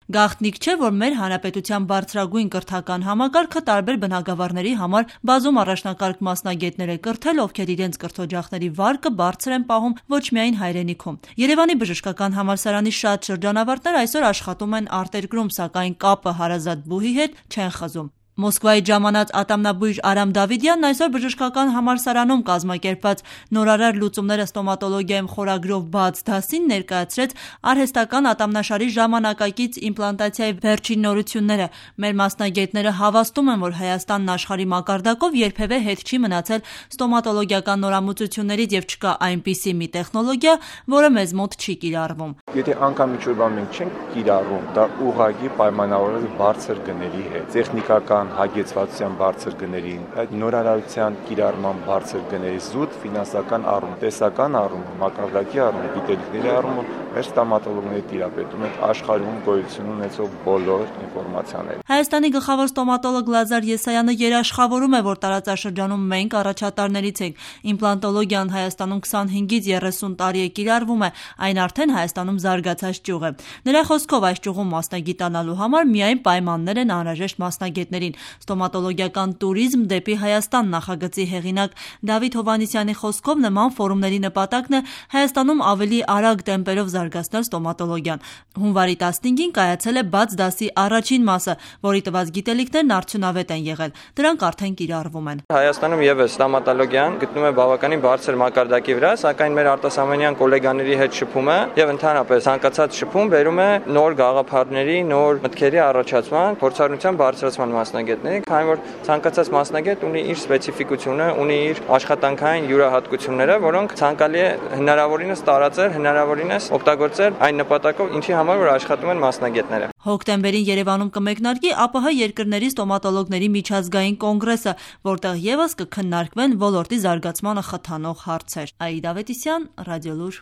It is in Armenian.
Գաղտնիք չէ, որ մեր հանրապետության բարձրագույն կրթական համակարգը տարբեր բնագավառների համար բազում առաջնակարգ մասնագետներ է կրթել, ովքեր իրենց կրթօջախների վարկը բարձր են պահում ոչ միայն հայրենիքում։ Երևանի բժշկական համալսարանի շատ շրջանավարտներ այսօր աշխատում են արտերկրում, սակայն կապը հարազատ բուհի հետ չեն խզում։ Մոսկվայից ժամանած ատամնաբույժ Արամ Դավիդյանն այսօր բժշկական համալսարանում կազմակերպված «Նորարար լուծումները ստոմատոլոգիայում» խորագրով բաց դասին ներկայացրեց արհեստական ատամնաշարի ժամանակակից իմպլանտացիայի վերջին նորությունները։ Մեր մասնագետները հավաստում են, որ Հայաստանն աշխարհի մակարդակով երբևէ հետ չի մնացել ստոմատոլոգիական նորամուծություններից եւ չկա այնպիսի մի տեխնոլոգիա, որը մեզ մոտ չի կիրառվում։ Եթե անգամ ինչ-որ բան մենք չենք կիրառում, դա ուղղակի պայմանավորված է բարձր գների հետ, տեխնիկական հագեցվածության բարձր գներին, այդ նորարարության կիրառման բարձր գների, զուտ ֆինանսական առումով, տեսական առումով, մակարդակի առումով, գիտելիքների առումով մեր ստոմատոլոգները տիրապետում են աշխարհում գոյություն ունեցող բոլոր ինֆորմացիաները։ Հայաստանի գլխավոր ստոմատոլոգ Լազար Եսայանը երաշխավորում է, որ տարածաշրջանում մենք առաջատարներից ենք։ Իմպլանտոլոգիան Հայաստանում 25-ից 30 տարի է կիրառվում է, այն արդեն Հայաստանում զարգացած ճյուղ է։ Նրա խոսքով այս ճյուղում մասնագիտանալու համար միայն պայմաններ են անհրաժեշտ մասնագետներին։ Ստոմատոլոգիական տուրիզմ դեպի Հայաստան նախագծի հեղինակ Դավիթ Հովհաննիսյանի խոսքով նման ֆորումների նպատակն է Հայաստանում ավելի արագ տեմպերով զարգացնել ստոմատոլոգիան։ Հունվարի 15-ին կայացել է բաց դասի առաջին մասը, որի տված գիտելիքներն արդյունավետ են եղել։ Դրանք արդեն կիրառվում են։ Հայաստանում եւս ստոմատոլոգիան գտնում է բավականին բարձր մակարդակի վրա, սակայն մեր արտասահմանյան գոլեգաների հետ շփումը եւ ընդհանրապես ցանկացած շփում բերում է նոր գաղափարների, նոր մտքերի առաջացման, փորձառության բարձրացման մասնագետների, քանի որ ցանկացած մասնագետ ունի իր սպეციფიკությունը, ունի իր աշխատանքային յուրահատկությունները, որոնք ցանկալի է հնարավորինս տարածել, հնարավորինս օգտագործել այն նպատակով, ինչի համար որ աշխատում են մասնագետները։ Հոկտեմբերին Երևանում կմեկնարկի ԱՊՀ երկրների ստոմատոլոգների միջազգային կոնգրեսը, որտեղ եւս կքննարկվեն ոլորտի զարգացմանը խթանող հարցեր։ Աիդա Ավետիսյան, Ռադիոլուր։